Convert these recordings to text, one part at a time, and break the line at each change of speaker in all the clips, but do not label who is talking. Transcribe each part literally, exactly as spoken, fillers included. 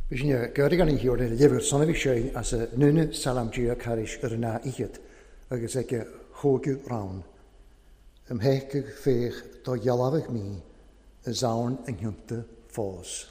Bhí gurgan an hiúr lehar sonna bhí sé as a nuna salamdíú caris ar an ná iad agus ag thógadh rán. Ym heicig féach do dhealbhadh mí y zawn yng Nghymru ffos.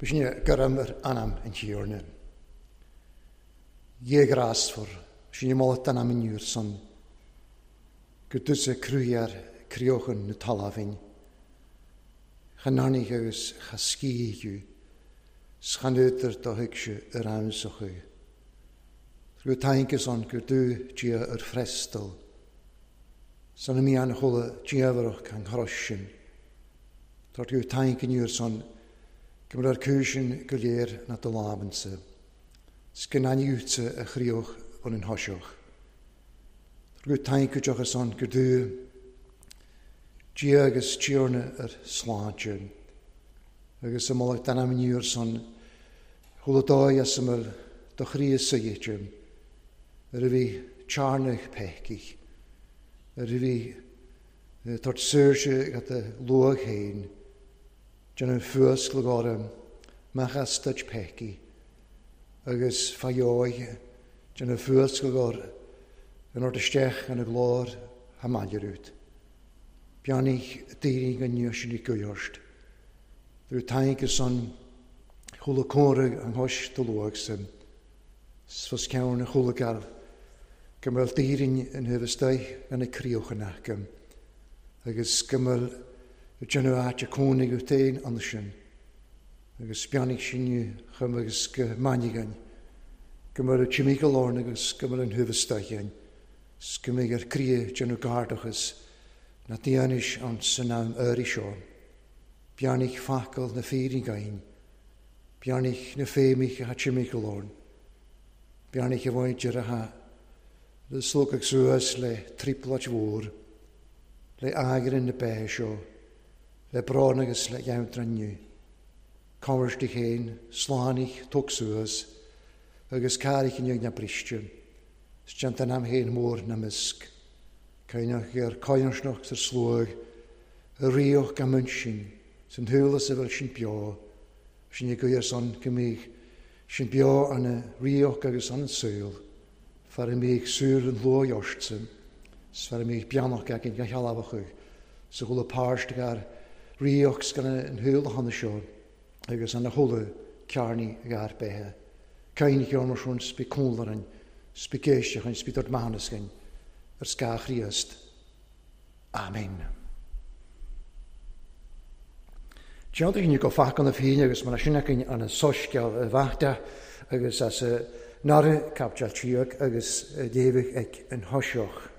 Bhí gurm ar anam an tíorna. Dhégrásfar sin mála anam in úr son, gur dúsa cruíar críochan na talamhain. Chanarnaigh agus chascíú, schanútar do thuig se ar amsachu. Gur taince an gur dú dia ar frestal. San mí an chola diabharach an chros sin. Tá gur taince úr son Gymryd ar cwysyn go léir na dy lábansa. Sgynaniwta y chriwch o'n yn hosioch. Drwy tainc joch ar son gyrdw. Gia agus tiorna ar sláinte. Agus y molag dan am niwr son hwla doi as ymwyl do chri y sygiad. Yr y fi charnach pecich. Yr y fi tort syrse gat y lwag hein. Dyn yn ffwysg lagorym, mach astad peci, agus faioi, dyn yn ffwysg lagor, yn o'r ystech yn y glor hamalierwyd. Bianich deiring yn nios yn ei gwyosd. Drwy taing y son, chwla cwrg yng nghos dy lwag sy'n. Fos ceann a chúlagar go mbeadh daoine in thaobh istigh ina críochanach agus go mbeadh déanamh áit a cónaí go féin ansin agus beannaigh sin chum agus go mainneoinn go mbeadh timpeall orainn agus go mbeadh an thaobh istigh againn 's go mbeidh ar croí déanamh gairdachas na déanais an san am áirithe seo. Beannaigh focal na fírinne againn, beannaigh na féimidh atá timpeall orainn, beannaigh a mhuintir atá le slógadh suas le trioblóid mhór, le eagrain na beithe seo, le brón agus le geantrainn inniu. Comhairt di féin, slánaigh, tóg suas, agus carraig inniu na briste, 's déanta an am féin mór na misc, Cainneach ar coinsneach sa sluag, a ríoch gan muinsin, san shúil a bhfuil sin beo, sin i gcuir san go mbíodh sin beo an ríoch agus an saol, fear a mbíodh súil an luath ortsa, 's fear a mbíodh beannach againn go shealbhachadh, sa chuile páirt gar ríoch 's gan an shúil a thána seo, agus an a chuile cearnaí gar beithe. Cainneach orm sin 's bí cúnlarann, 's bí géisteach 's bí dort maithiúnas ar scáth Chríost. Amen. Déantar go facan na féine agus mar sin againn an soiscéal bheachta agus as nara caipiteal tíoch agus léamh ag an thoiseach.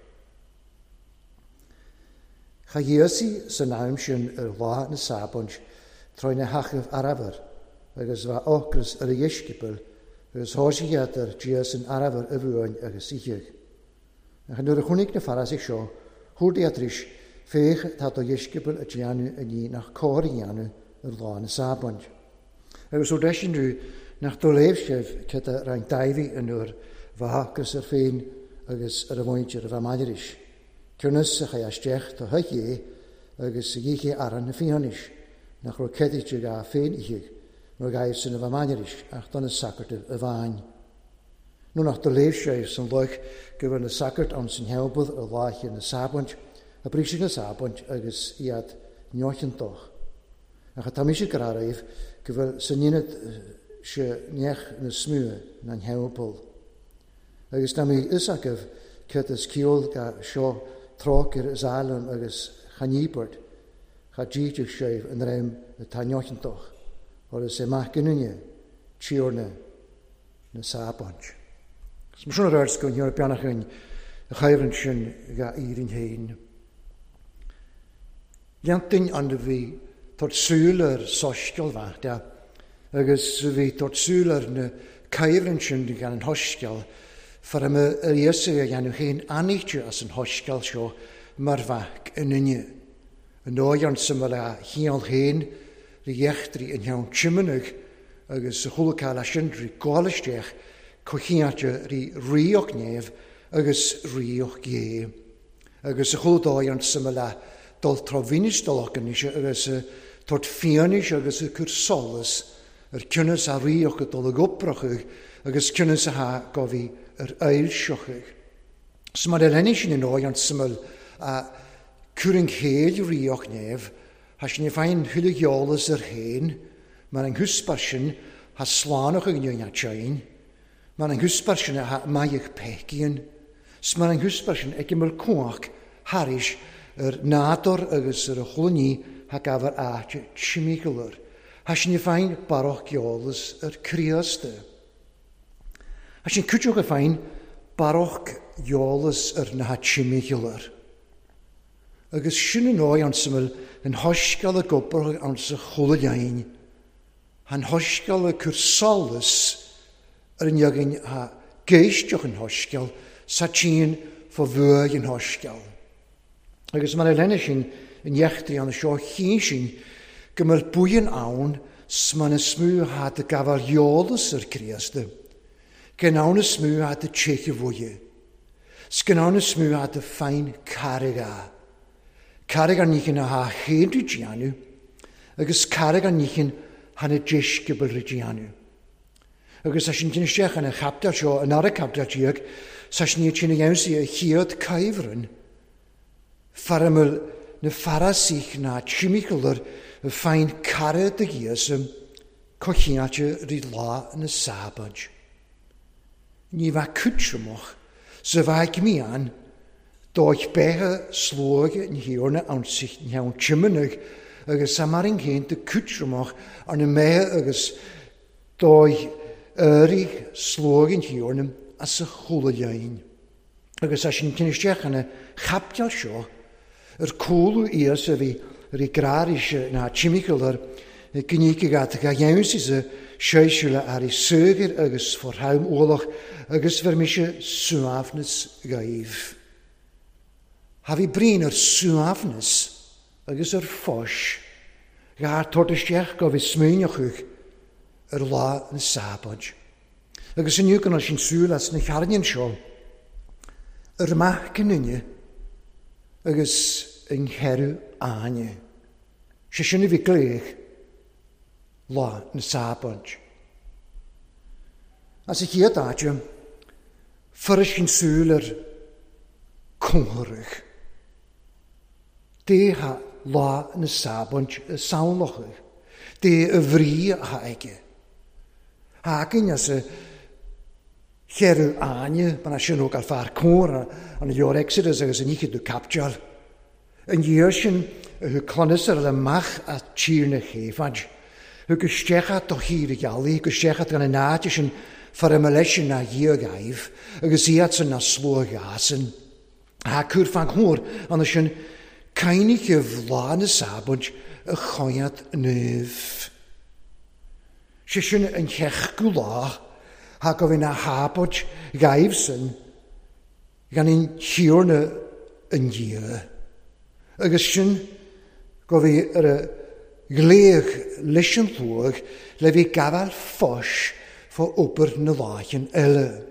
Cha Íosa san am sin ar lá na Sabóid tráth na hachadh arbhair agus bheith ocras ar a dheisceabail agus thosaigh iad ar Dia san arbhar a bhuain agus itheadh. Ach nuair a chonaic na Farisaigh seo, chuardaigh tar féach tá do dheisceabail a déanamh a ní nach cóir a dhéanamh ar lá na Sabóid. Agus ó deis inniu nach do léamh sibh cad a roinnt Dáiví an uair bheith ocras ar féin agus ar a mhuintir a bheith maidiris. Cionnas a chaith isteach do theach é agus a dhíche aran na fiánis, nach raibh ceadaíte dhá féin itheadh, nó ghaibh sin a bheith maidiris ach do na sacartaibh a bhain. Nó nach do léamh sibh san loch go bhfuil na sacairt ann san theampall ar láithe na Sabóid, a bríseadh na Sabóid agus iad neochantach. Ach tá mise go raibh go bhfuil san ionad se neach na smúa na theampall. Agus tá mé fhios agaibh cad is ceol ga seo trócaire is álainn agus chaníobairt, cha díteach sibh an réim atá neochantach, agus é maith giniúna tíorna na Sabóid. Is mar sin a rá go ndeor beannachtain a chaimhreann sin ga Éirinn féin. Dhéantainn an a bhí tabhairt súil ar soiscéal bheachta agus a bhí tabhairt súil ar na caimhreann sin gan an shoiscéal, fear a ar Íosa a dhéanamh féin anaíte as an shoiscéal seo mar bheadh in inne. An dóigh an sa a chiall féin rí eachtraí an cheann tiomanaigh agus a chuala leis sin rí gáil isteach cochiáte rí ríoch néamh agus ríoch gé. Agus a chuala dóigh an sa le dul trámhínis dul agus tabhairt fianaise agus a chur solas ar cionnas a ríoch a dul ag oprachadh agus cionnas a tha go bhí ar ailseochadh. 'S mar a lenne sin in áit an suimil a cuarann chéad ríoch néamh, tha sin féin thuile gheolas ar féin, mar an húsbar sin tha slánach ag nua tein, mar an húsbar sin a tha maidhc peicíonn, 's mar an húsbar sin ag imeall cuach thairis ar nádúr agus ar a chluiní tha gabhar áit timpeall. Tha sin féin barrach geolas ar Chríost. Tha sin cúiteach a féin barrach geolas ar na timpeall. Agus sin an áit an suimil an thoiscéal a gobar an sa chuile dhéin, an thoiscéal a cur solas ar an againn a géisteach an thoiscéal sa tSín fá bhuaidh an thoiscéal. Agus mar a lenne sin in eachtraí an seo chíonn sin go mbeadh buíon ann 's mar na smú tha de gabháil eolas ar Chríost, go ann is smú tha de téiche bhuaidhe, 's go ann is smú tha de féin carraig a. Carraig an níchin a tha chéadú déanamh, agus carraig an níchin tha na deisceabail déanamh. Agus tá sin sin isteach ina chaptail seo, an ara captail déag, sa sin iad sin a dhéanamh a chéad caimhreann, fear a mbeadh na Farisaigh ná timpeall ar féin cara de Íosa, cochiáte rí lá na Sabóid. Ní bheith cútramach sa bheith mian dóich beithe slóige an thiarna ann cheann tiomanaigh agus sa mar an chéanta cútramach arna mbeithe agus dóich éirigh slóige an thiarna as a chúla lein. Agus as sin cinn na chapteal seo ar cúlú íos a bhí ar i gráris na timiceal ar gníce gat ga dhéansaí sa séisiúla ar i suigir agus forthaim ualach agus bhur mise suaimhneas gaibh. Ha bhí bríon ar suaimhneas agus ar fós, gair tabhairt isteach go bhí smaoineochaidh ar lá na sábáid. Agus inniu go sin súil as na chearnaíonn seo, ar maith cinine agus an cheiriú áine. Sé sin a bhí glaoch lá na sábáid. As a chéad áite, fuair sin súil ar cóngarach. Dé ha lá na sábáid samhlachaidh. Dé a bhrí a aige. Hacainn as a cheiriú áine, mar sin ó gal fear córa an leor Exodus agus an oíche do capteal. An dhiaidh sin thug clannas ar amach a tír na chéifad. Thug isteach do thír a ghealaí, go isteach gan an áit sin far leis na dhiaidh agus iad san na slóghasan. Ha cúr fan chór an sin cainige lá na sábáid a choiad naomh. Sé sin an cheachú lá ha go bhí na hábáid gaibh san gan an thiarna an Dhia. Agus sin go bhí ar a glaoch leis an luach le bhí gabháil fós fá obair na láicheann eile.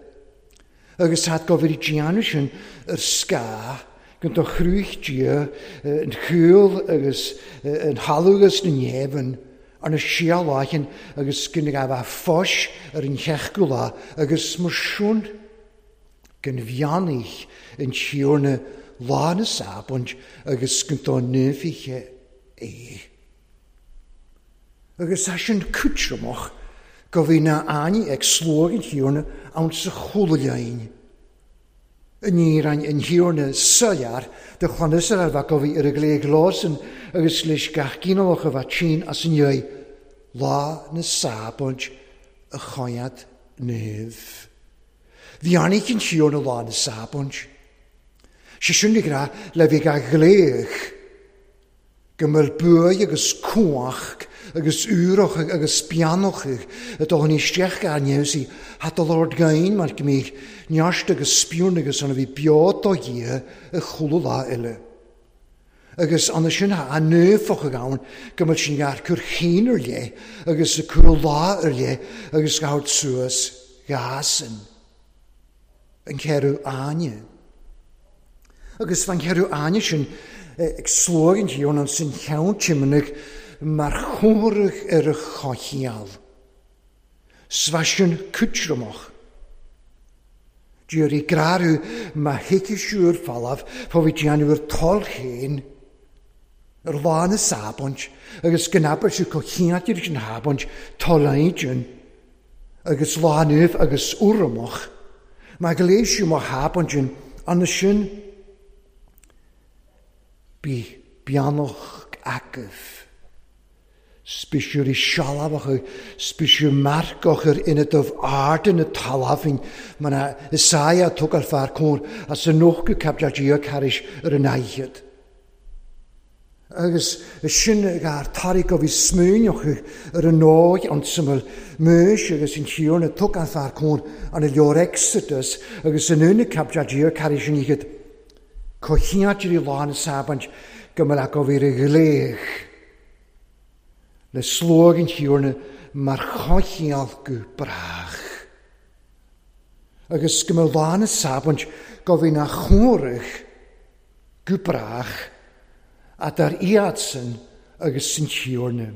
Agus had go bhí déanamh sin ar scáth go do chrúich Dia an chúl agus an thalamh agus na neamhan ar na sialáicheann agus go na gabh fós ar an cheachú lá agus mar sin go bheannaigh an Tiarna lá na sábáid agus go dá naomhaithe é. Agus tá sin cútramach go bhí na áine ag slóg an Thiarna ann sa chúla lein. An níor an Thiarna soiléir do chlann Iosrael bheith go bhí ar a glaoch lásan agus leis gach ginealach a bheith tinn as an dhiaidh lá na sábáid a choimeád naomh. Bhí annaigh an Thiarna lá na sábáid. Sé sin ag rá le bhí gach glaoch go mbeadh buaidh agus cumhach agus úrach agus beannach a dul isteach gan neamhsaí hat a lord gain mar go mbíodh neart agus spiorn agus an a bhí beo do Dhia a chúla lá eile. Agus an sin a naofach ann go mbeadh sin gar cur chéin ar leith agus a cur lá ar leith agus gabhairt suas gásan. An ceiriú áine. Agus fan ceiriú áine sin ag slóg an Thiarna an sin cheann tiomanaigh mar chomhaireamh ar a choicheall. Svaisiún cútramach. Dúr i grarú má thuici siúr fallamh fá bhí déanamh ar toil chéin ar lá na sábáid agus go n-abair siú có chiantir sin hábáid toil agus lá naomh agus urramach. Má go léis siú má hábáid an sin bí beannach agaibh. Spisiúr i sealbhach, spisiúr marcach ar ina dubh ard na talamhain, mar na Isaia tug ar fear cór as an nócha caibdeal Dia caris ar an aighead. Agus sin gar tairig go bhí smaoineochaidh ar an nóig an tsuimil Maois agus an Tiarna tug an fear cór an leor Exodus agus an úna caibdeal Dia caris an aighead. Có chiantir i lá na sábáid go mbeadh go bhí ar a ghléich. Le slóg an Tiarna mar choicheall go brách. Agus go mbeadh lá na sábáid go bhí na chomhaireamh go brách a dar iadsan agus san Tiarna.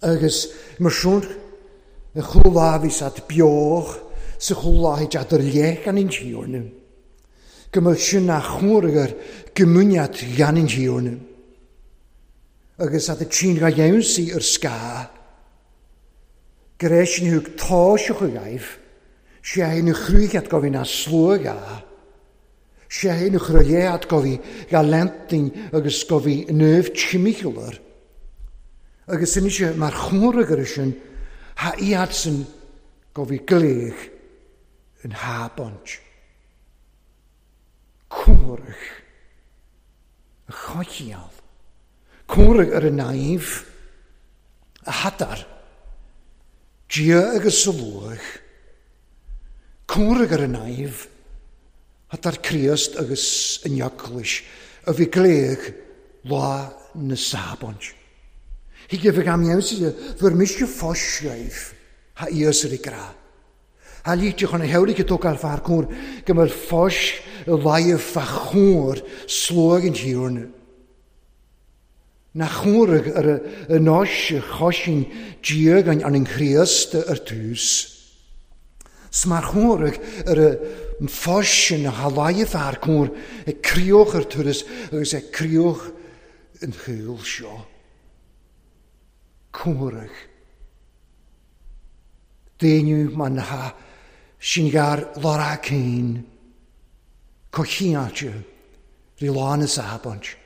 Agus mar sin y chwla bhí sad beoch sa chwla hi ar leich gan an Tiarna. Go mbeadh sin na chomhaireamh ar gymuniad gan an Tiarna. Agus at y tîn ga iawnsi yr sga, greisin hwg tosioch y gaif, Sé hyn y chrwygiad gofi na slwga. Sé hyn y chrwygiad gofi galentin agus gofi nöf chimicular. Agus yn eisiau mae'r chwrag ar ysyn ha iadsy'n gofi gleg yn ha bont. Cwrach. Y chochial. Cwrach ar y naif. Y hadar. Dia agus y lwch. Cwrach ar y naif. Hadar Christ agus yn iaglwys. Y fi gleg la na sabont. Hi gyfeg am iawn sydd fyr misio ffosiaif ha ias yr i gra. Ha lítio chun a hewrig y tógáil fear cór go mbeadh fós y laigh fa chór slóg an tíorna. Na chóraigh ar y nóis chosin diagain an an Chríost ar tús. Smar chóraigh ar y fósin ha laigh fear cór ag crioch ar turas agus ag crioch yn chwyl seo. Córaigh. Déanú man ha sin gar lora cén, cochiáte, rí lán is abont.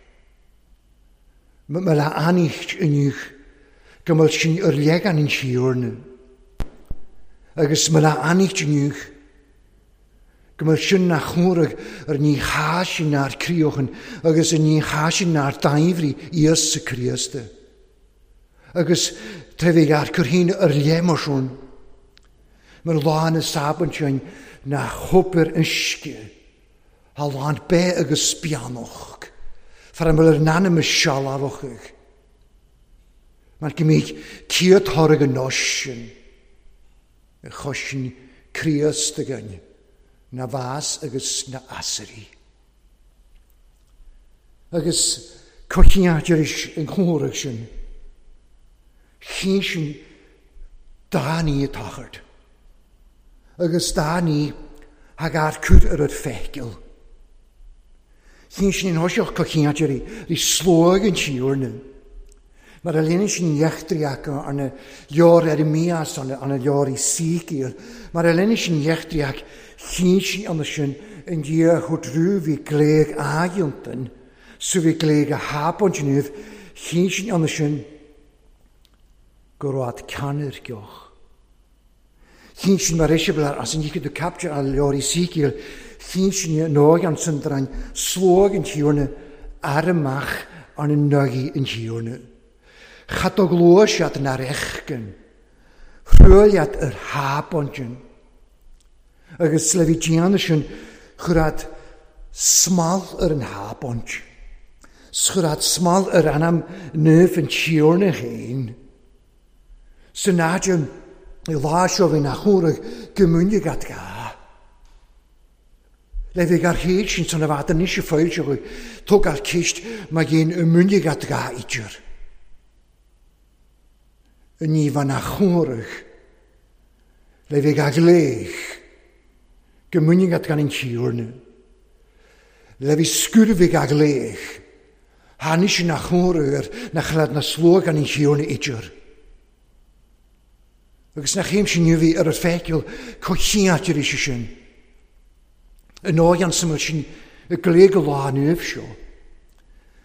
Ma le anícht inniuch, go mbeadh sin ar legan an tíorna. Agus ma le anícht inniuch, go mbeadh sin na chóraigh ar ní chá sin ar críochan agus ar ní chá sin ar daimhrí Íosa Críosta. Agus trefig ar cur ar léimar mar lán is sabant sin na chopar uisce, ha lán be agus spianoch, far am ar nanam is sealabhach. Mar go mbeidh céad thorg an nóisin, y chosin Críost againn, na bhás agus na asairí. Agus cochiáid is an chóraigh sin, chín sin daní a tachart. Agus daní hag ar cur ar yr feicil. Chyn sin yn hosioch cochiad ri, ri slóg yn tíorna. Mar a lena sin iechtriach arna leor ar y mias arna leor i sícil. Mar a lena sin iechtriach chyn sin anna sin yn dia chwt rŵ fi gleg agiontan, so fi gleg a habont nydd, chyn sin anna sin gorwad canir gioch. Chyn sin mar eisiau as yn iechyd y capture a leor i sícil, chyn sin nóg an syndrain slóg yn tíorna ar y mach an yn nogi yn tíorna. Chadog lwsiad na'r echgyn, rhwyliad yr habondyn. Agus le fi dian sin chwrad smal yr yn habond. Schwrad smal yr anam nöf yn tíorna hyn. Synadion i lásio fi na chwrag gymwnig at ga. Le fi gar hyd sy'n son a fad yn eisiau ffoilsio tog ar cist mae gen ymwnig at ga idir. Yn ni fan a chwrag le fi gar glech gymwnig at gan yn tíorna. Le fi sgwrfig a glech hanis na chwrag na chlad na slwag gan yn tíorna idir. Agus na chéim sin fi ar y ffecil cochiad yr eisiau sin. Yn oed an syml sin y gleg o lá nöf seo.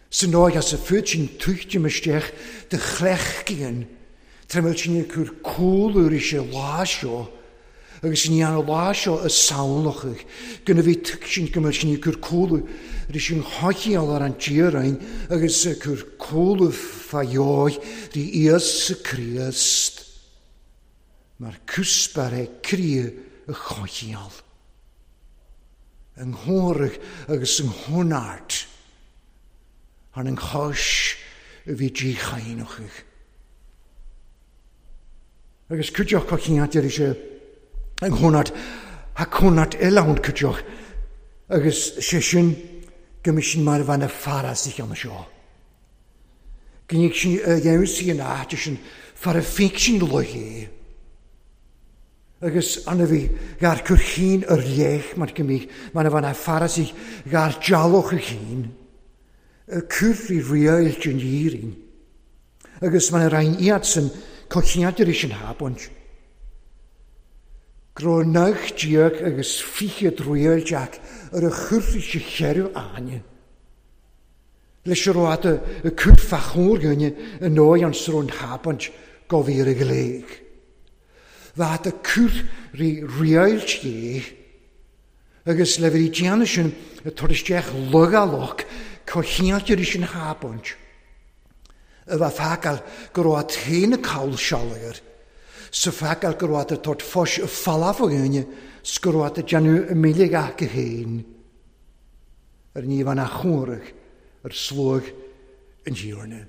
Sy'n oed as y ffwyd sin tuchtio mystiach dy chlechgion. Tremel sin y cwr cwl yr eisiau lá seo. Agus sin ian o lá seo y sawlochach. Gynna fi tyc sin gymryd sin y cwr cwl yr eisiau hogiol ar an dirain. Agus y cwr cwl y ffaioi ri Iesu Christ. Mae'r cwsbar e cri y chochial. Yng nghwrg agus yng nghwnart. Ar yng nghos y fi di chainwch. Agus cwtioch cochiad yr eisiau yng nghwnart ha cwnart elawn cwtioch. Agus sesiwn gymysyn mae'r fan y ffaras i'ch am y sio. Gynnig sy'n y iawn sy'n at sy'n ffaraf ffig sy'n logi. Agus anna fi gar cwrchyn yr lech mae'r gymig, mae'n fan a ffaras i gar jalwch y chyn, y cwrdd i riail dyn irin. Agus mae'n rhain iad sy'n cochiad yr eisiau'n habont. Gro nach diag agus fiche druíal Jack ar a churfi se cheirú áine. Leis ar áta a cur fachór gynne yn o'i an srón habant gofir y gleig. Bhaat a cur rí riail tí agus le bhí déanamh sin a tuairisceach lugalach cochialtar is an habant. A bheith fágáil go raibh féin a cabhail sealair. Sa fágáil go raibh tort fos a falaf o gynne s go raibh déanamh a míle gach go héin. Ar ní bhean a chóraich ar slóg an dtíorna.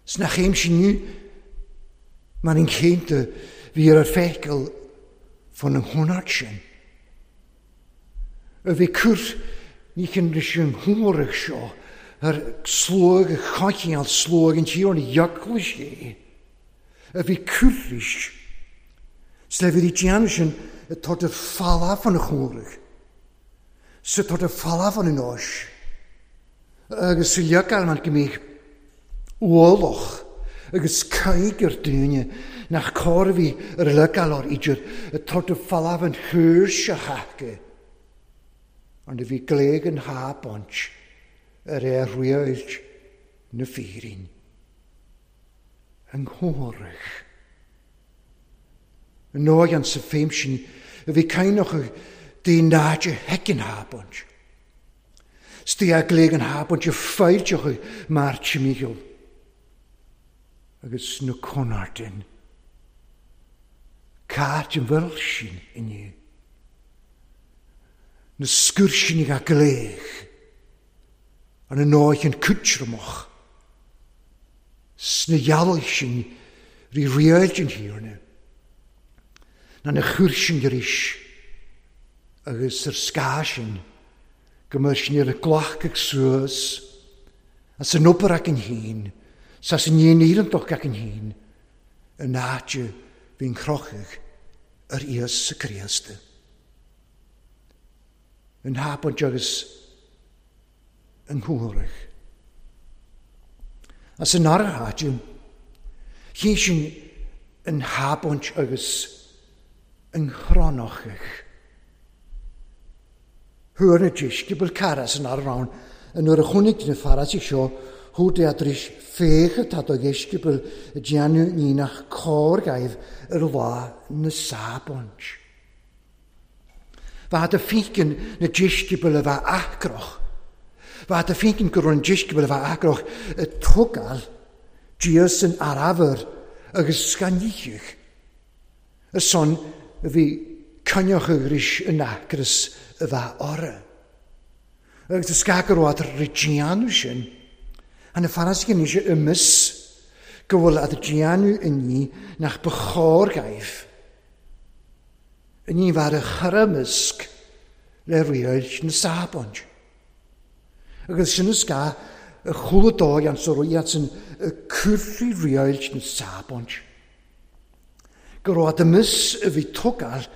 Sna chéim sin nu, mar an chéinte bhí ar feiceáil fan an chonairt sin. A bhí cur ní chin leis an chóraich seo ar slóg a chaicíal slóg an dtíorna eaglais é. A bhí cur leis. S le bhí déanamh sin a tort ar falaf an chóraich. Sa tort ar falaf an anois. Agus sa leagáil mar go mbíodh ualach agus caig ar daoine nach cóir a bhí ar leagáil ar idir a tort ar falaf an thuair seo chaca. An a bhí gléig an hábaint ar é riailt na fírin. An chóraich. An nóigh an sa féim sin a bhí caineach dí náide heicean hábaint. Stí a gléig an hábaint a fáilteach mar timíoll. Agus na conartin. Cáit an bhfuil sin inniu. Na scúr sin a gléig. An an nóigh an cútramach. Sna dhealaigh sin rí riailt an thiarna. Na na chúr sin arís agus ar scá sin go mar sin ar a glacadh suas as an obair ag an héin, sas an dhéanamh ag an héin, an áite bhí'n chrochadh ar Íosa Críosta. An hábaint agus an chóraich. As an ara háite, chin sin an hábaint agus an chronachach. Thuair na deisceabail cara san ara ann, an nuair a chonaic na Fairisigh seo, thuair de tar éis féach atá do dheisceabail a déanamh ní nach cóir gaibh ar lá na sábaint. Bhaat a fícin na deisceabail a bheith acrach. Bhaat a fícin go raibh an deisceabail a bheith acrach a tógáil Dias san arabhar agus scaníoch. Ar son a bhí coinneach arís in acras a bheith orra. Agus a scagar ó ar déanamh sin, an na Fairisigh anois i mis go bhfuil ad déanamh inní nach ba chóir gaibh. Inní bheith a chur le riailt na sábaint. Agus sin is gá a chúla dóigh an sa ruiad sin a curfi riailt na sábaint. Go raibh a mis a bhí tógáil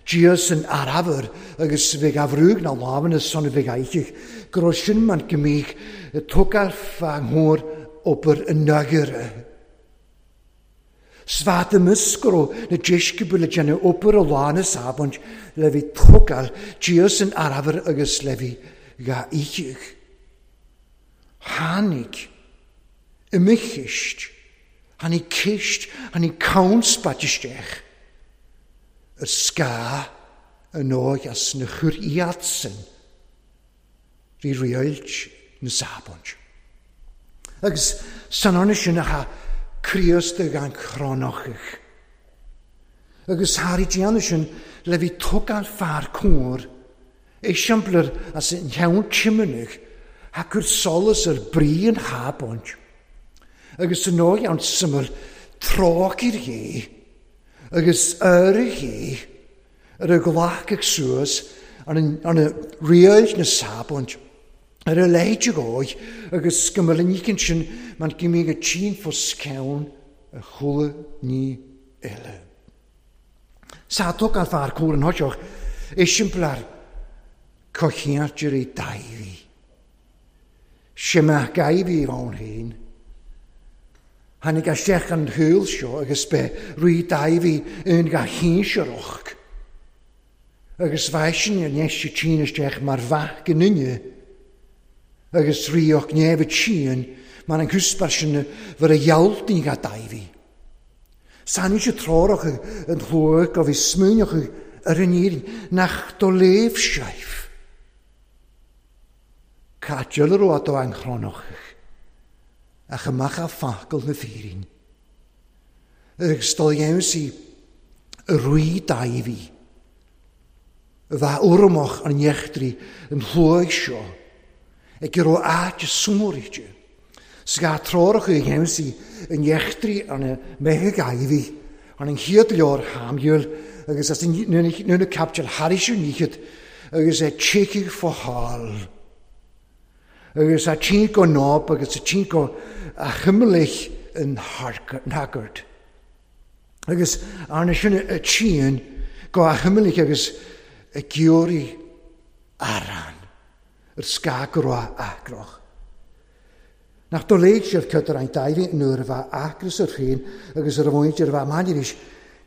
Dias san arabhar agus bheith ahrúg na lámhanna son a bheith aichich, go raibh sin man go mbíodh tógáil fágthóir obair an nagaire. Svat a mis go raibh na deisceabail le déanamh obair a lá na sábaint le bhí tógáil Dias san arabhar agus le bhí dhá aichich. Tháinig i mo cheist, tháinig ceist, tháinig canspat isteach. Ar scá an nóigh as na chur iad sin rí riailt na sábaint. Agus san arna sin a cha Críost gan chronachach. Agus tharí déanamh sin le bhí tógáil fear cóir, eiseamplar as an cheann timanach, ha cur solas ar brí an hábaint. Agus san nóigh an syml trácair dhé, agus ar dhé, ar a ghlacadh suas, ar an riailt na sábaint, ar a leithe dhóigh, agus go mbeadh an ícinn sin man go mbíodh a tinn fós ceann a chúla ní eile. Sa tógáil fear cóir an thoiseach, eiseamplar cochiartar i daibhí. Sé maith gaibhí ann féin. Tháinig isteach an shúil seo agus be rí Dáiví in ga shinsearach. Agus bheisin ar neis si tsin isteach mar bhath go nunne. Agus ríoch neamh síon mar an cúspar sin bhar a ghealtaí ga Dáiví. Saní sé trárach an chlóach a bhí smúneach ar an éirí nach do léamh seif. Cá dealrú atá an chrónach. Ach amach a fácail na fírin. Agus dul dhéanamh a rí Dáiví. A bheith urramach an neachtraí an shlóigh seo. Ag go raibh áit sumairíte. 'S gá treorach a dhéanamh an neachtraí an mbeithe Dáiví, an an chéad leabhar Shamúéil agus as an nuair capiteal thairis an níchead agus é tíocaigh fo thall. Agus a tsin go náb agus a tsin go a chimmelich an hagart. Agus arna sin a tsin go a chimmelich agus a giori aran ar scagrá acroch. Nach do léig sibh cutar an Dáiví nuair a bheith acras ar féin agus ar a bhaint ar a bheith maidiris,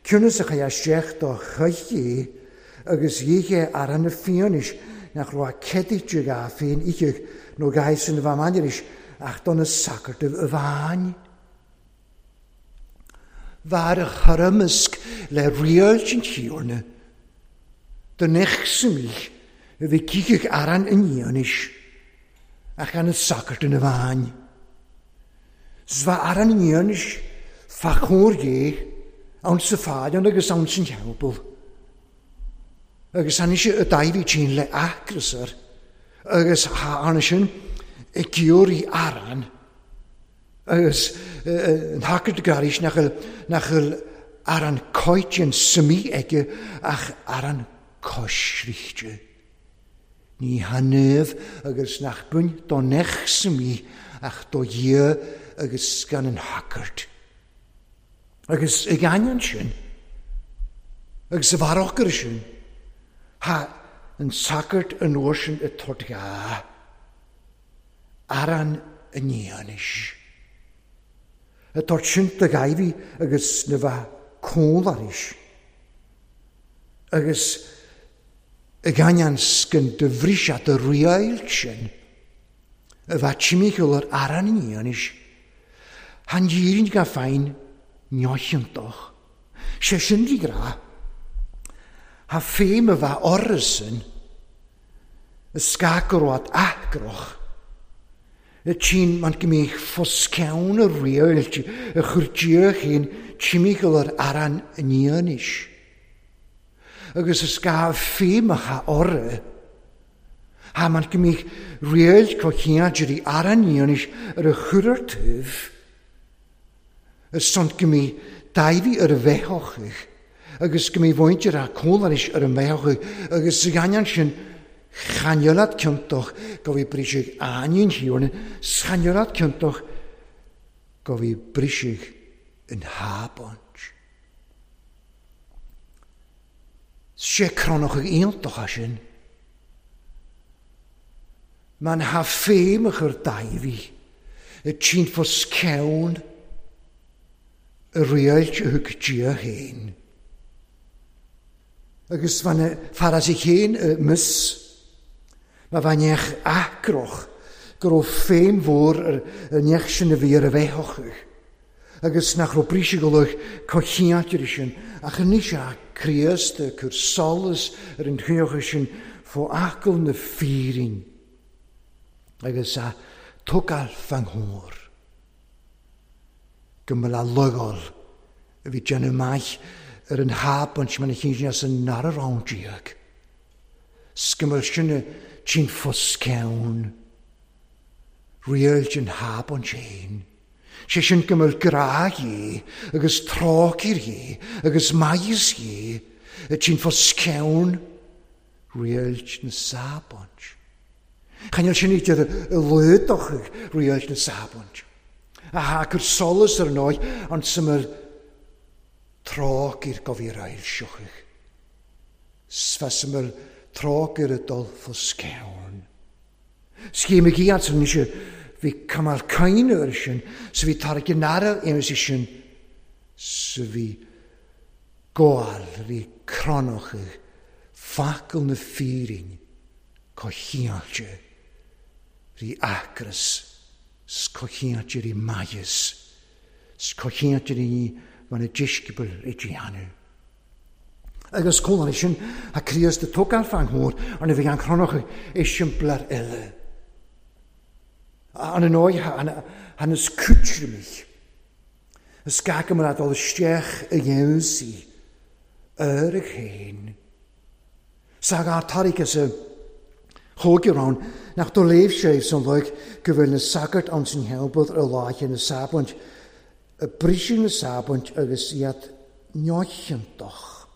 ciúnas a chaith isteach do chuichí agus dhíche aran na fianis nach raibh ceadaíte ga féin ícheach nó gaiis sin a bheith maidiris ach do na sacartaibh a bhain. Bhar a churamisc le riailt an tíorna, do nech samich a bhí cícheach aran an fhianis ach an na sacartain a bhain. Sva aran an fhianis fa chóir dhé ann sa fáidean agus ann san theampall. Agus tháinig sé a Dáiví tsin le acrasar agus ha arna sin i gciúirí aran agus an hacart garis nach bhfuil aran coiteann suimí aige ach aran coisrichte. Ní hanamh agus nach buin do nech suimí ach do dhia agus gan an hacart. Agus ag ainneoin sin, agus sa bharrochar sin, ha an sagart an uair sin i Tortgá, aran an fhianis. A tort sin do Dháiví agus na bheith cólaris. Agus ag ainneoin scan de bhriseadh de riailt sin, a bheith timcheall ar aran an fhianis, han dhírin ga féin neochiontach. Sé sin rí grá, ha féim a bheith orrasin, a scagarwad acroch, y tîn man gymich ffoscawn y riailt, y chwrdiach un timigol ar aran yn ionish. Agus y sga féim a cha orre, ha man gymich riailt cochiadri aran ionish ar y chwrartyf, y sont gymich daifi ar y fehochych, agus gymich fwyntir a cólarish ar y fehochych, agus y ganian sin chaniolat ciontoch go bhí brisig aníon hiorna, chaniolat ciontoch go bhí brisig yn hábont. Sé cronach ag aontoch a sin. Man ha féimach ar daibhí, y tîn fos cewn, y riailt a thug dia héin. Agus fan faras i chéin y mys, ma fan eich acroch, go raibh féim mhór ar an neach sin a bhí ar a bheithochach. Agus nach raibh bríseagalach cochiátir sin, ach anois a Críost cur solas ar an chuocha sin fó acail na fírin. Agus a tugáil fanghór. Go mbeadh a logáil a bhí déanamh maith ar an hábant man a chinsin as an nara roundíag. Sgymel sin a tîn fos ceann. Riailt an hábant sin. Sé sin gymel grá dhé, agus trácir dhé, agus maíos dhé, a tîn fos ceann, riailt na sábant. Chanel sin idir y lwyddoch riailt na sábant. A ha cur solas ar an oed, ond syml trácir gofir ail siochach. Sfa syml trácir y dol fos ceann. Sgym i giad sy'n eisiau bhí camal caoine ar sin, sa bhí tarrac in ara aon sin, sa bhí gáil, bhí cranach, facal na fírin, cochiáilte, rí acras, s cochiáilte rí maias, s cochiáilte rí van a discipel i dhéanamh. Agus cólan sin a Críost a tógáil fan mór an a bhí an cronach is simplar eile. An an oíche han is cútrimich. Is gach mar dul isteach i dhéansaí ar a chéin. Sagar tarik is a chóigearán nach do léimh sé san luig go bhfuil na sagart an san helbad ar láiche na sábant, a briseadh na sábant agus iad neochantach.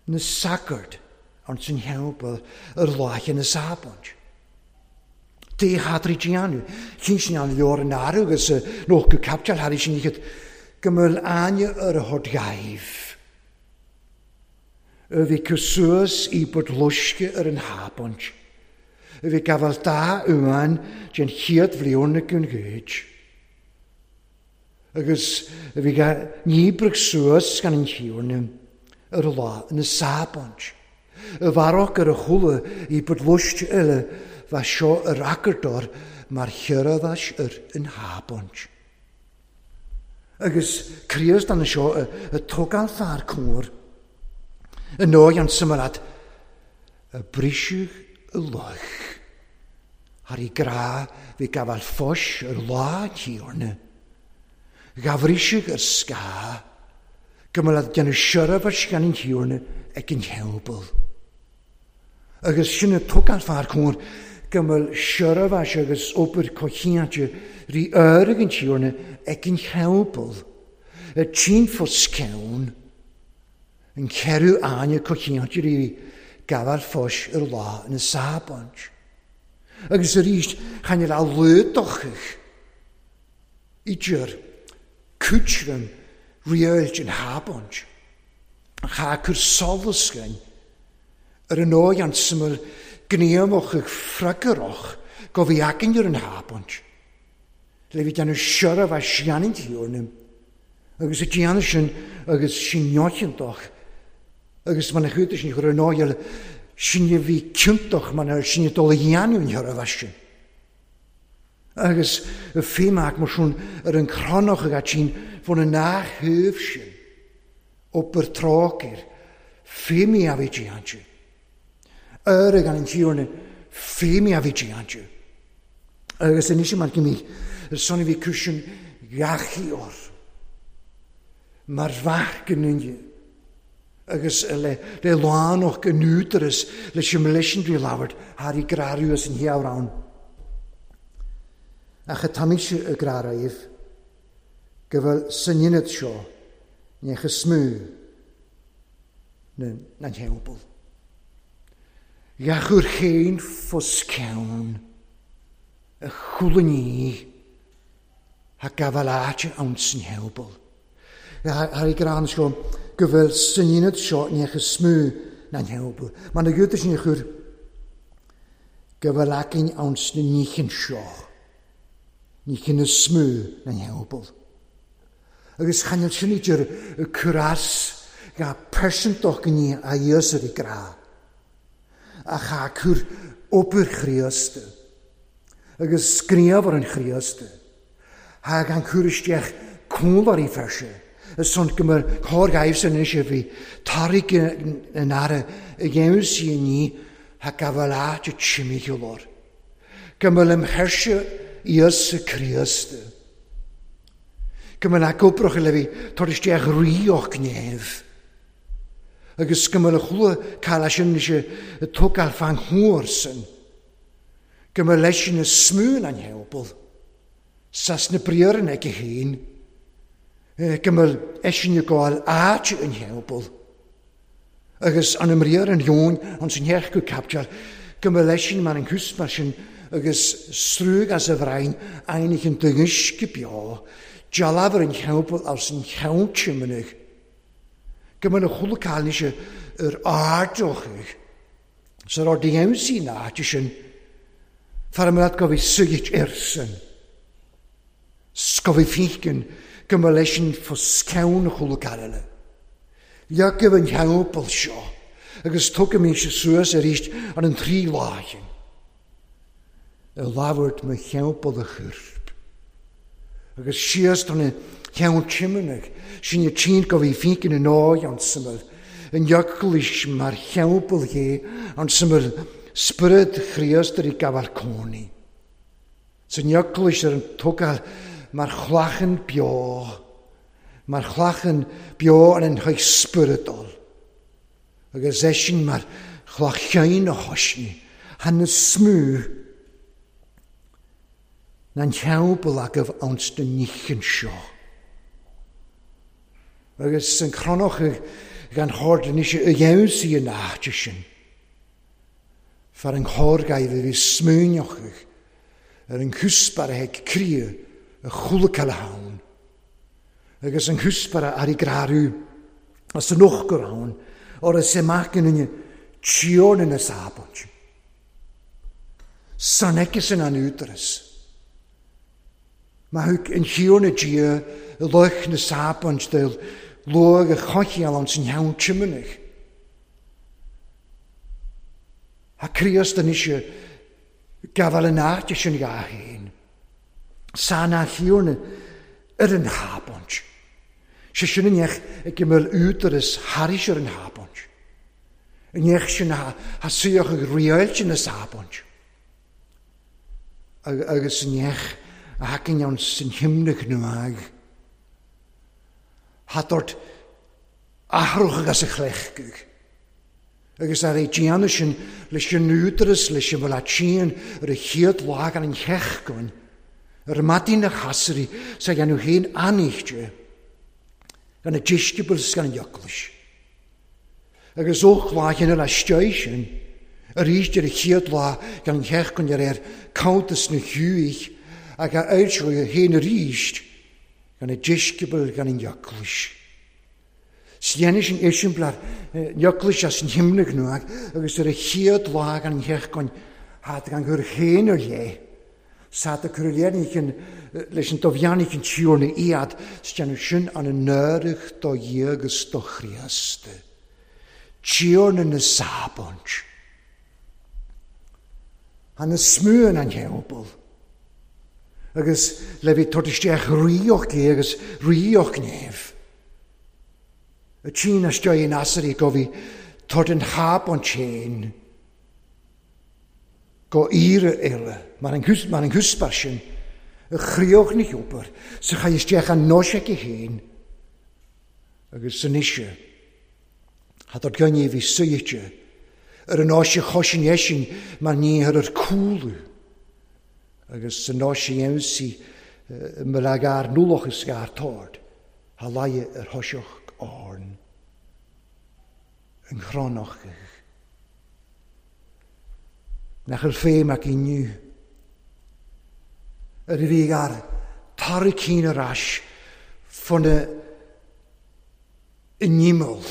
Na sagart an san helbad ar láiche na sábant. Dé hadri déanú, chin sin an leor an aru agus noch go capteal harí sin iad go mbeadh aine ar a thord gaibh. A bhí cosúas i bod loisce ar an hábant. A bhí gabháil dá uain den chéad bhliana gon gcuid. Agus a bhí níbrach suas gan an chiúrna ar a lá na sábant. A bharach ar a chula i bod loisce eile bha seo ar acardor mar chearadhais ar an hábant. Agus Críost an seo a tógáil fear cóir. Y nói an symarad y briseadh y loch. Har i gra fi gafal ffos yr lá tiwrna. Gafriseadh yr sga. Gymryd gan y siarafas gan yn tiwrna ac yn helbl. Agus sin y tógáil fear cóir gymryd siarafas agus obair cochiante rí ör ag yn tiwrna ac yn helbl. Y tîn ffos cewn. Yn cerw aine cochiante rí gafal ffos yr lá yn y sábant. Agus arís chan a lúdochach idir cútram riáilt an hábant. Cha cur solasgain ar an ói an syml gníomach ag fragarach go bhí acain ar an hábant. Le bhí déanamh sioraf a sianint thiúrnam. Agus y déanamh sin agus sin neochantach. Agus man a chuid sin chur an ói sin a bhí ciontach man ar sin a dul a dhéanamh an thiúraf sin. Agus y fémach mar sin ar an cronach ag sin fan an nach thuibh sin op ar trácair fémi a bhí déante. Ar ag an an thiúrna fémi a bhí déante. Agus anois mar go mí ar son a bhí cúisean ghachaí or. Mar bheach go nunne. Agus le le lánach go nútaras leis an leis drí labhairt thar i grarú as an heamhrán. Ach a tamise y graraibh go bhfuil san ionad seo ní smú na na theampall. Gachúr chéin fos ceann a chulaní ha gabhaláte an san theampall. Har i grán seo go bhfuil san ionad seo ní smú na theampall. Mar na gúta sin chur go bhfuil acain an sna níchin seo. Ní chin y smú na theampall. Agus chanel sin idir y cwras ga persentoch gní a Iesu i gra. A cha cwr obyr Chríost. Agus sgriaf ar an Chríost. Ha gan cwr isteach cwlar i ferse. Y son gymr cor gaif sy'n eisiau fi tarig yn ara y gewn sy'n ni ha gafalát y chimigolor. Gymr ymherse Iesu Chríost. Gymr ac obrach i lefi tor isteach rioch gnef. Agus gymr y chwla cael as yn eisiau y tógáil fan hwyr sy'n. Gymr leis yn y smwn an helbl. Sas na briar yn ag ei hun. Gymr eisiau y gael áit yn helbl. Agus an ymriar yn ion, ond sy'n hech go captial, gymr leis yn man yn cwsmar sy'n agus srwg as y frain einig yn dyngisg bio, jalafr yn helbl as yn helbl mynych. Gymr y chwla cael eisiau yr ardoch. Sa'r orddiemsi na, sin Far go bhí suigit airsan. Sco bhí fícin go mba leis sin fo sceann chuile caile. Leagaibh an theampall seo agus tugaimís suas arís ar an trí láithin. I labhairt mo theampall a chorp. Agus síos don cheann tiomnach sin i tsin go bhí fícin in áidh an suimil. An eaglais mar theampall dhé an suimil Spiorad Chríost ar i gabháil cónaí. San eaglais ar an tógáil mar chlachan beo, mar chlachan beo an an chuid spioradal. Agus é sin mar chlacháin a choisní, han na smú na theampall agaibh ans na níchin seo. Agus san chronach gan chord anois a dheimhsí an áite sin. Far an chorgaibh a bhí smúineachach ar an chuspar a ag cría a chúlacail ann. Agus an chuspar ar i grarú as an ochgur ann or is amach in tíorna na sábant. San aici an údaras. Ma thug an tíorna Dia i luch na sábant de luag a chochial an san cheann tiomnach. Ha Críost anois gabháil an áite sin dhá fhéin. San a thiarna ar an hábant. Sé sin an neach ag go mbeadh údaras thairis ar an hábant. An neach sin ha suíoch ag riáilte na sábant. Agus an neach a thacainn ann san himnach nuag. Ha dort athrach agus a chlechgach. Agus ar é déanamh sin leis an údaras leis an bhfuil síon ar a chéad lá gan an cheachgoin, ar maidin na chasairí sa dhéanamh féin aníchte, gan na deisceabail gan an eaglais. Agus ó lá chéanna le steigh sin, arís ar a chéad lá gan an cheachgoin ar ar cuntas na thuaidh ag a fhoilseoidh féin arís gan na deisceabail gan an eaglais. Sléanna sin eiseamplar eaglais as an himnach nuag agus ar a chéad lá gan an cheachgoin hát gan gur chéin ar lé. Sa a cur léirnícin leis an dobheannaigh an tíorna iad s déanamh sin an an náireach do Dhia agus do Chríost. Tíorna na sábant. Han na smúin an theampall. Agus le bhí tabhairt isteach ríoch é agus ríoch néamh. Y tîn ystio in asari go fi tord yn hab o'n tîn go ire eile. Mae'n ma nghwsbar sin y chrioch ni ober sy'n chai ystio an noseg i hyn agus sy'n eisiau had o'r gynnu fi sy'ite yr yn osi chosin esin mae'n ni ar yr cwlw agus sy'n osi emsi mylag ar nwloch ysgar tord ha lai yr hosioch orn yn chronach. Nach yr ffeim ac unniw. Yr i fi ar torri cyn yr as ffon y nimol.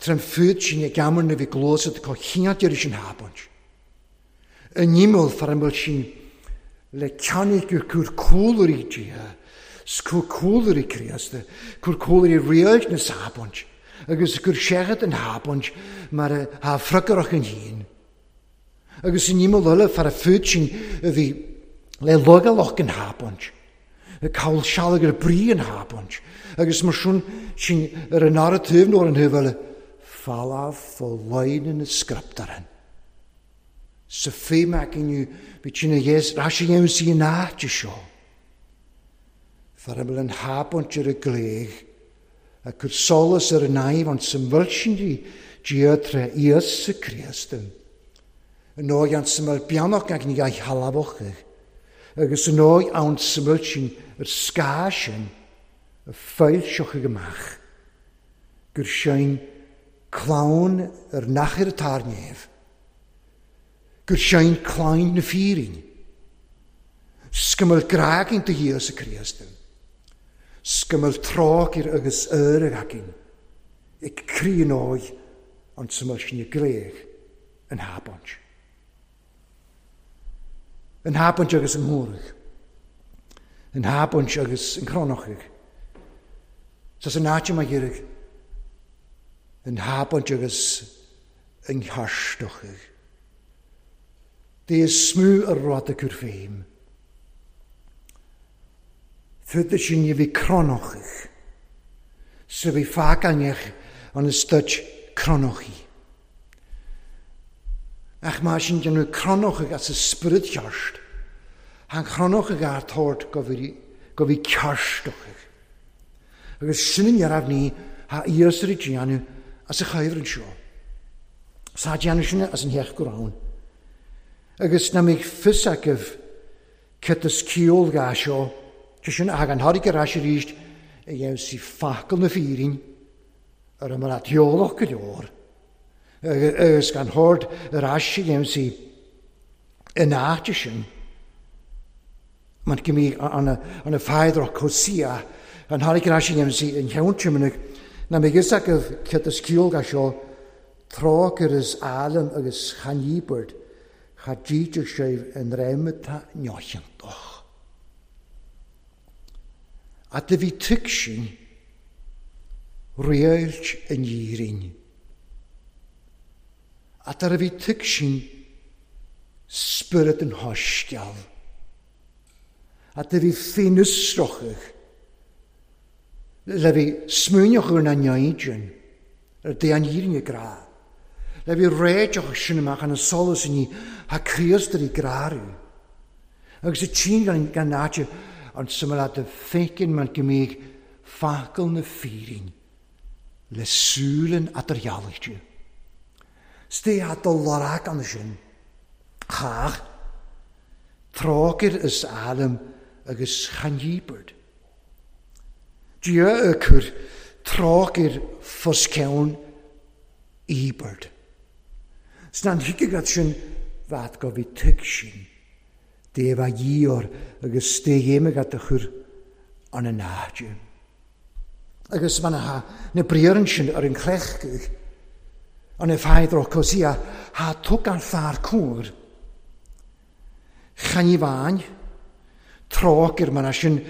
Tra'n ffwyd sy'n ei gamr na fi glosad co chiad i'r sy'n habont. Y nimol far ymwyl sy'n le ceannig yw'r cwr cwlwr i dia. Cwr cwlwr i Christ, cwr cwlwr i rioed na sabont, agus cwr siarad yn habont mar ha ffrygarach yn hun. Agus yn nimol eile far y ffwyd sy'n y fi le logaloch yn habont, y cawl sialag yr bri yn habont, agus mar swn sy'n yr yn ar y tyf nôr yn hyfel falaf fo lein yn y sgriptaren. Sa ffeim ac yn yw, byd sy'n y yes, ras i iawn sy'n áit seo. Far ymwyl yn habont ar y gleg, a cwr solas ar y naif, ond sy'n fylsyn di Dia tre Iesu Christ. Yn oed an syml bianach ag ni gael halafoch. Agus yn oed an syml sy'n yr sgasyn, y ffael sioch ag ymach. Gyr sy'n clawn yr nachir y tarnef. Gyr sy'n clawn na ffyrin. Sgyml graag yn dy Iesu Christ. Sgyml trog i'r agus yr ag agin. Ik crí yn oed, ond syml sy'n y greg yn habont. An thapaint agus an ngóraigh. An thapaint agus an chrónachaigh. Sa san áit mar dheireadh. An thapaint agus an chearstochaigh. Dé is smú a rud a cur féim. Fud sin a bhí crónachaigh. Sa bhí fácainneach an istuid crónachaigh. Ach má sin déanamh crónachaigh as a spiorad cheart, han chrónachaigh ar tabhairt go bhí go bhí cearstochaigh. Agus sin an raibh ní ha fhios ar a déanamh as a chuimhreann seo. Sa déanamh sin as an theach go raibh. Agus na mbeidh fios agaibh cad is ciall dhá seo, sé sin a thagann thairg ar ais arís a dhéanamh sí focal na fírinne ar a mbeadh eolach go leor. Agus gan thord ar ais a dhéanamh sí in áit sin. Mar go mbíodh an feadrach Hosea an thairg ar ais a dhéanamh sí in cheann timinic na mbeidh fhios agaibh cad is ciall dhá seo, trácair is álainn agus chan íobairt, cha díteach sibh in réim atá neocheantach. At a bhí tuig sin, réilt in Éirinn. At a bhí tuig sin, spiorad an thaisceáil. At a bhí féinfhiosrachadh, le bhí smaoineach ar na neidin, ar dé an Éirinn grá. Le bhí réiteach sin amach an solas ní ha Críost ar i grárú. Agus a tsin gan gan áite an suimil a fécin mar go mbíodh focal na fírinne le súlan atarghealaigh. Stay at do lorag an sin. Chach, trácair is alam agus chan dhíbeard. Dia a chur trácair fos ceann íbeard. Sna an thuige sin bheat go bhí tuig sin. Dé bheith dhíor agus dé dhéime a chur an an áite. Agus man ha na briaran sin ar an chlechgach an y ffaidr o Hosea ha tug an fear cwr. Chan i fain, trácair man sin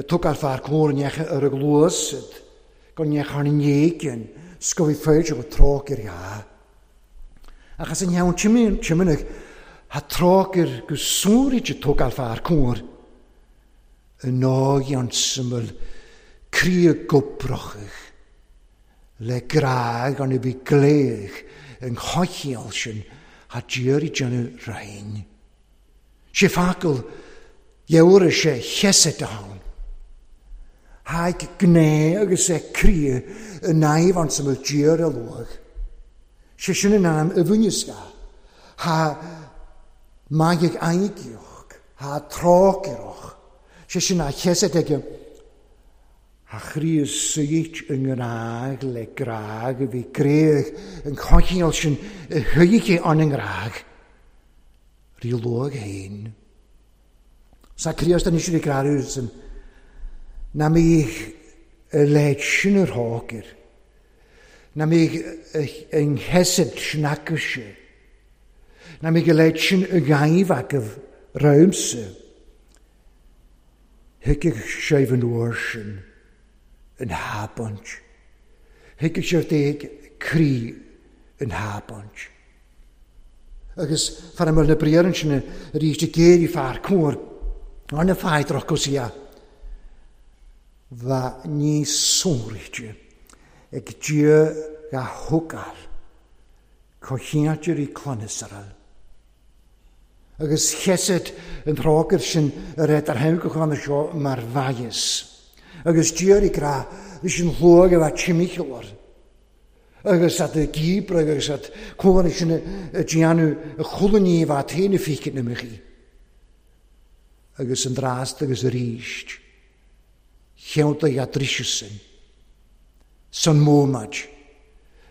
tug ar fear cwr neach ar y glwysyd, gan neach ar an éigin, sgofi ffeidr o trácair ia. Achos yn iawn timynach, ha trácair go sŵrid y tug ar fear cwr. Y nog iawn syml, crí y gwbrochach, le graag an y bu gleich yn chochial sin, ha diar i dynnu rhain. Sé ffacal, iewr sé chesed ann. Haig gné agus é crí y naif an syml diar y lwg. Sé sin yn am y fwynysga. Ha maig aigioch, ha tráciroch. Sé sin a chesed ag ha chrí syit yng Nghymraeg le graag y fi greg yn chochial sin y hyig an yng Nghymraeg. Rhy lwg hein. Sa Críost an eisiau graru sy'n na mi y led sin yr hogir. Na mi yng nghesed sin agysio. Na mi y led sin y gaif ag y rawmsa. Hygych sef yn o'r sin. Yn habont. Hygych sef deg cri yn habont. Agus far ymwyl na briar yn sin yr eisiau geir i ffar cwr. Ond y ffaith roch Hosea. Fa ni sŵryd ag dia ga hwgal cochiadur i clonysarall. Agus chesed yn trógur sin yr ed ar hewgwch an y sio mar faies. Agus dia i gra leis an hlwag efo chimichilor. Agus at y gibr agus at cwr sin y dianw y chwlwn i efo at hen y ffeicyn ymych chi. Agus yn drast agus yr eist. Chewnta i adrisiwsyn. Son mómad.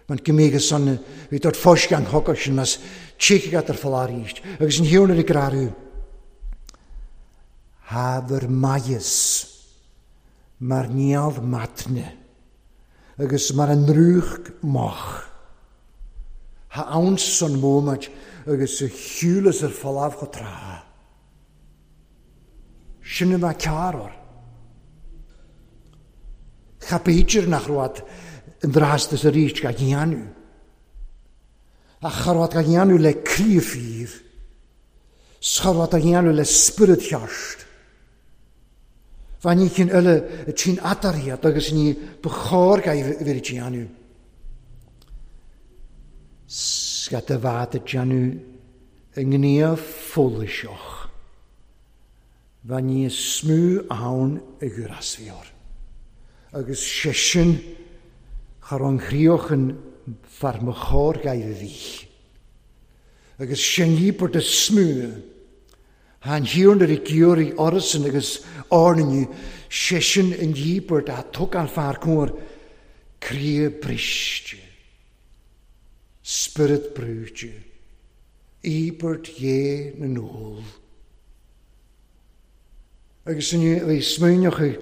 Mae'n gymig y son fi dod ffos gan hogos yn mas tchig at yr ffalar eist. Agus yn hiwn yr i grarw. Hafyr maies. Mae'r nial matne. Agus mae'r nrwch moch. Ha awn son mómad agus y hiwlas yr ffalaf go tra. Sin a bheith cearr or. Cha b'fhéidir nach raibh an drastas arís ga dhéanamh. Ach cha raibh ga dhéanamh le croí fíor. Cha raibh ga dhéanamh le spiorad cheart. Bha ní cinn eile a tsin atariad agus ní ba chóir ga bheith déanamh. Scat a bheith a déanamh i ngníomh follaiseach. Bha ní smú ann i gcur. Agus sé sin char an chríochan far mo chóir ga bhí. Agus sin dhíobairt a smú. Han hiarn ar i gciúraí orasan agus árnainniu, sé sin an dhíobairt a tugann fear cóir croí briste, spiorad brúite, íobairt dhé na n-ól. Agus inniu bhí smaoineochaidh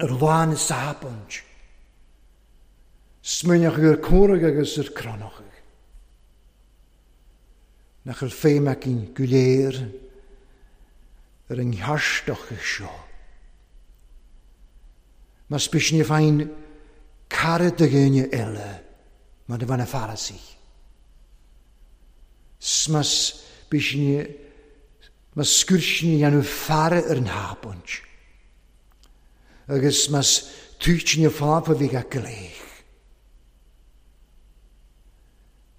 ar lá na sábáint, smaoineochaidh ar córaigh agus ar cronnochaidh. Nach bhfuil féim againn go léir ar an gcearstochaidh seo. Mas bísne féin cara de dhuine eile mar a bhean a Pharisaigh. Smas bísne mas scuirsne dhéanamh faire ar an hábant. Agus mas tuitsne fápa bhí ga gléich.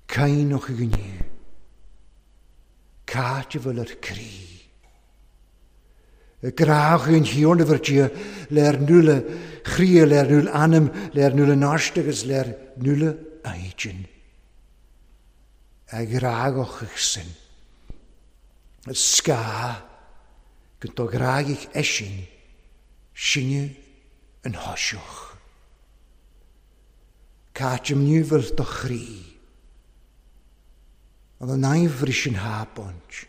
Cainoch i gniu. Cáit a bhfuil ar croí. Y graach yn hiorn y fyrdia le'r nŵle chrí, le'r nŵle anam, le'r nŵle nast agus le'r nŵle aigin. A graagach eich sin. Y sga gyda graag eisyn sinne yn hosioch. Cáit ym niwfel do chrí. Ond yn aifris yn habont.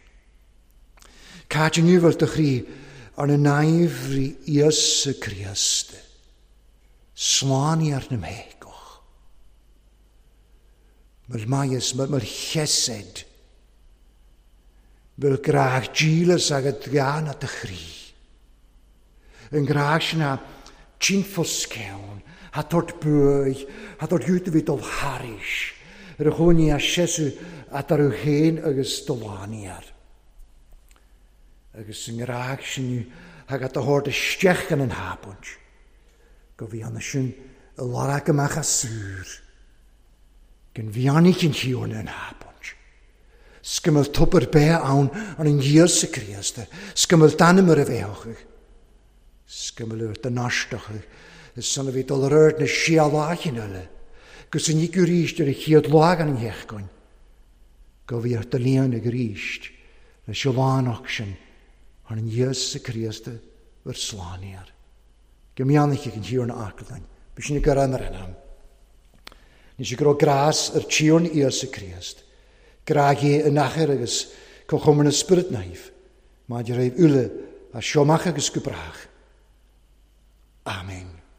Cáit ym niwfel do chrí ar na naifri Iesu Christ. Sláni ar na mhégoch. Mae'r maias, mae'r chesed. Mae'r graag dílas agad gan at y chrí. Yn graag sy'n tínfoscewn, ha tort bwy, ha tort jwtfyd ol haris. Yr chwni a siesu at ar yw hen agus dolaniar. Agus yn graag sy'n hag at y hord y stech gan yn habont. Go fi anna sy'n y larag ymach a sŵr. Gan fi annig yn hiwrn yn habont. Sgymel twb be awn an yn Iesu Christ. Sgymel danym yr efeochig. Sgymel yr dynastochig. Is son a fi dol yr erd na sialachin yla. Gus yn igur íst ar y chiad lag an hechgoin. Go fi ar dylion ag yr íst. Le sialánach sin ar an Iesu Christ yr slániar. Gymianach ag yn hiwrn aclain. Bys sy'n gyrra am yr enam. Nes i gro gras yr tiwrn Iesu Christ. Graag i yn acher agus cochwm yn y spirit naif. Mae di reif ule a siomach agus gwybrach. Amen.